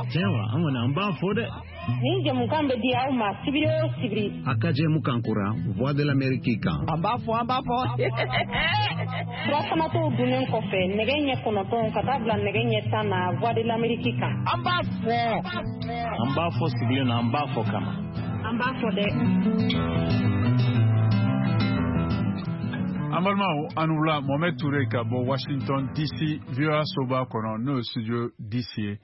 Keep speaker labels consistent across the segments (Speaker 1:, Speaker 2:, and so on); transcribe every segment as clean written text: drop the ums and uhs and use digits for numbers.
Speaker 1: Tiɲɛ wa, an kɔni an b'a fɔ dɛ.
Speaker 2: Nin jɛmukan bɛ di aw ma sibiri o sibiri.
Speaker 3: A ka jɛmukan kura Voix de l'Amérique kan.
Speaker 4: An b'a fɔ, an b'a fɔ.
Speaker 2: Furafanatɔw dunnen kɔfɛ nɛgɛ ɲɛ 9 ka taa bila nɛgɛ ɲɛ 10 na Voix de l'Amérique kan.
Speaker 4: An b'a fɔ.
Speaker 1: An b'a fɔ sigilen na, an b'a fɔ kama.
Speaker 2: An b'a fɔ dɛ.
Speaker 5: An balimaw, an wula. Mohamed Touré ka bɔ Washington DC, VOA soba kɔnɔ, n'o ye studio DC ye.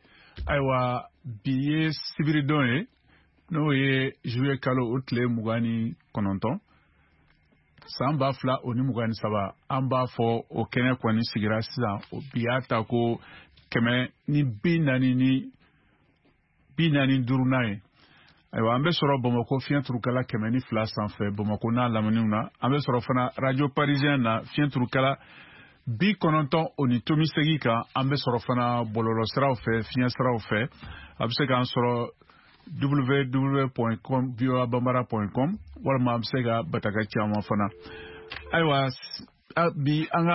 Speaker 5: Ayiwa, bi ye sibiridon ye, n'o ye juillet kalo o tile 29, san 2023. An b'a fɔ o kɛnɛ kɔni sigira sisan, o bi y'a ta ko 145nan ye. Ayiwa, an bɛ sɔrɔ Bamakɔ fiɲɛ turukala 102 sanfɛ, Bamakɔ n'a laminiw na. An bɛ sɔrɔ fana Radio Parisien na, fiɲɛ turukala 90.8 kan. An bɛ sɔrɔ fana bɔlɔlɔsiraw fɛ, fiɲɛ siraw fɛ. A bɛ se k'an sɔrɔ www.voabambara.com, walima an bɛ se ka bataka caman fana. Ayiwa, bi an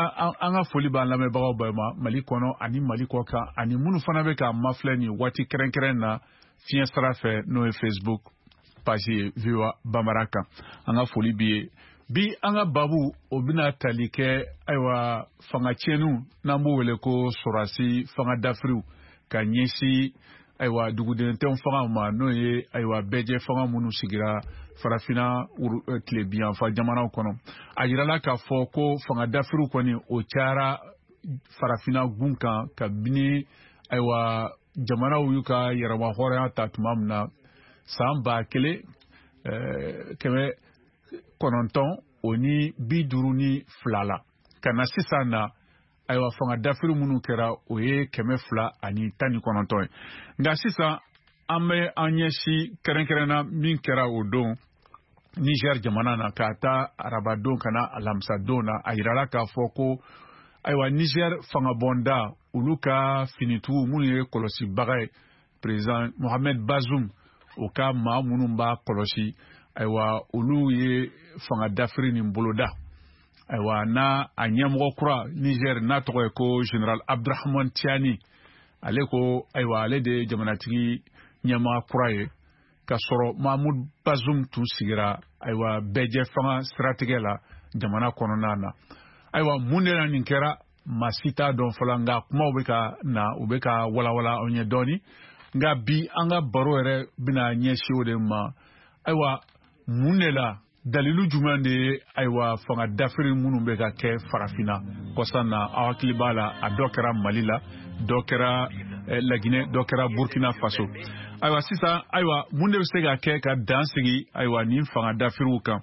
Speaker 5: ka foli b'an lamɛnbagaw bɛɛ ma Mali kɔnɔ ani Mali kɔ kan, ani minnu fana bɛ k'an mafilɛ nin waati kɛrɛnkɛrɛn na fiɲɛ sira fɛ, n'o ye Facebook page ye VOA Bambara kan. An ka foli b'i ye. Bi an ka babu, o bɛna tali kɛ, ayiwa, fanga tiɲɛniw, n'an b'o wele ko sɔrɔdasi fanga dafiriw ka ɲɛsin, ayiwa, duguden tɔn fangaw ma, n'o ye, ayiwa, bɛɛjɛ fanga minnu sigira Farafinna tilebinyanfan jamanaw kɔnɔ. A yirala k'a fɔ ko fanga dafiriw kɔni, o cayara Farafinna gun kan kabini, ayiwa, jamanaw y'u ka yɛrɛma hɔrɔnya ta tuma min na, san 1952 la ka na sisan na. Ayiwa, fanga dafiri minnu kɛra, o ye 219 ye. Nka sisan an bɛ an ɲɛsin kɛrɛnkɛrɛnna min kɛra o don Niger jamana na, k'a ta arabadon ka na alamisadon na. A yirala k'a fɔ ko, ayiwa, Niger fangabɔnda, olu ka finitigiw minnu ye kɔlɔsibaga ye président Mohamed Bazoum, o ka maa minnu b'a kɔlɔsi, ayiwa, olu ye fanga dafiri nin boloda. Ayiwa, n'a a ɲɛmɔgɔ kura Niger, n'a tɔgɔ ye ko général Abdurahman Tiani, ale ko, ayiwa, ale de ye jamanatigi ɲɛmaa kura ye, ka sɔrɔ Mahmoud Bazoum tun sigira, ayiwa, bɛɛjɛ fanga siratigɛ la jamana kɔnɔna na. Ayiwa, mun de la nin kɛra, maa si t'a dɔn fɔlɔ, nka kumaw bɛ ka na, u bɛ ka walawala anw ye dɔɔni. Nka bi an ka baro yɛrɛ bɛna ɲɛsin o de ma. Ayiwa, mun de la, dalilu jumɛn de ye, ayiwa, fanga dafiri minnu bɛ ka kɛ Farafinna kɔsan na? Aw hakili b'a la, a dɔ kɛra Mali la, dɔ kɛra Laginɛ, dɔ kɛra Burkina Faso. Ayiwa, sisan, ayiwa, mun de bɛ se ka kɛ ka dan sigi, ayiwa, nin fanga dafiriw kan,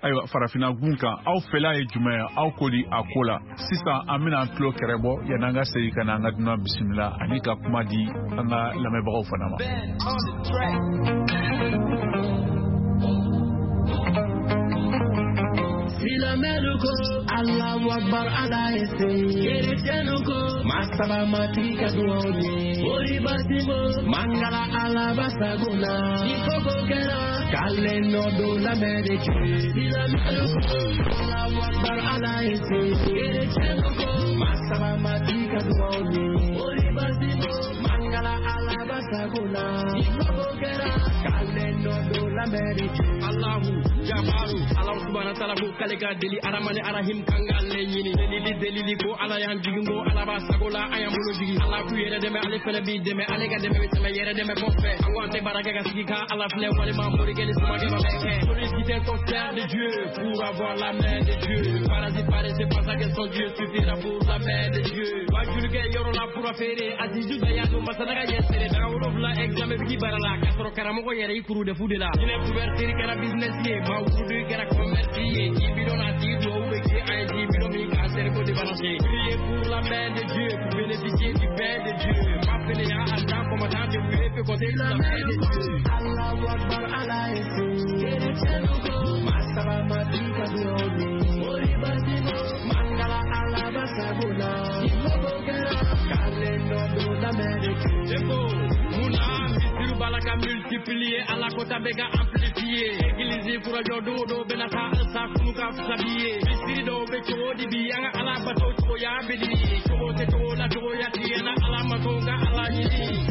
Speaker 5: ayiwa, Farafinna gun kan? Aw fɛla ye jumɛn ye? Aw ko di a ko la? Sisan an bɛna an tulo kɛrɛ bɔ yanni an ka segin ka na an ka dunan bisimila ani ka kuma di an ka lamɛnbagaw fana ma.
Speaker 6: Silamɛlu ko Allahu Akbar, Ala ye se. Kerecɛnnu ko masaba matigi ka duwaw ye. Ori basimo mangala Ala basago na. Ni koko kɛra k'ale nɔ don l'Amérique. Silamɛlu ko Allahu Akbar, Ala ye se. Kerecɛnnu ko masaba matigi ka duwaw ye. Ori basimo mangala Ala basago na. Ni koko kɛra k'ale nɔ don l'Amérique.
Speaker 7: Allahu Jabaru, Ala subhana taala ko k'ale ka deli Aramani Arahim kan k'ale ɲini. Delili delili ko Ala y'an jigin, ko Ala b'a sago la, an y'an bolo jigin. Ala k'u yɛrɛ dɛmɛ, ale fɛnɛ b'i dɛmɛ, ale ka dɛmɛ bɛ tɛmɛ yɛrɛ dɛmɛ kɔfɛ. An ko an tɛ baara kɛ ka sigi ka Ala filɛ, walima morikɛ ni somakɛ ma bɛɛ kɛ. Solliciter ton frère de Dieu pour avoir la main de Dieu. Parasite paresseux pense que son Dieu suffira pour la main de Dieu. Wajulikɛ yɔrɔ la fura feere, Azizu Dayanu masanaga ɲɛsere. Daga 7 examen bɛ k'i bara la, k'a sɔrɔ karamɔgɔ yɛrɛ i kuru de fu de la. Jinɛ couverture kɛra business ye, maa wurudu kɛra commerce ye. Ji bidon na tigi duwawu bɛ kɛ an ye, ji bidon min k'an cerveau débalancer. Prier pour la main de Dieu, pour bénéficier du pain de Dieu. Ma fɛnɛya a dan combattant de vous peut compter sur la main de Dieu.
Speaker 6: Allahu Akbar, Ala ye se. Kerecɛnnu ko masaba matigi ka duwaw ye. Ori basimo mangala Ala basago na. Ni koko kɛra k'ale nɔ don l'Amérique.
Speaker 7: Eko munna misiriw b'a la ka multiplier, Ala kota bɛ ka amplifier. Église kura jɔ don o don bɛna taa halisa kunu ka fisa bi ye. Misiri dɔw bɛ cogo di bi, an ka Ala bato cogoya bɛ di? Cogo tɛ cogo la, cogoya ti an na, Ala ma sɔn ka Ala ɲini.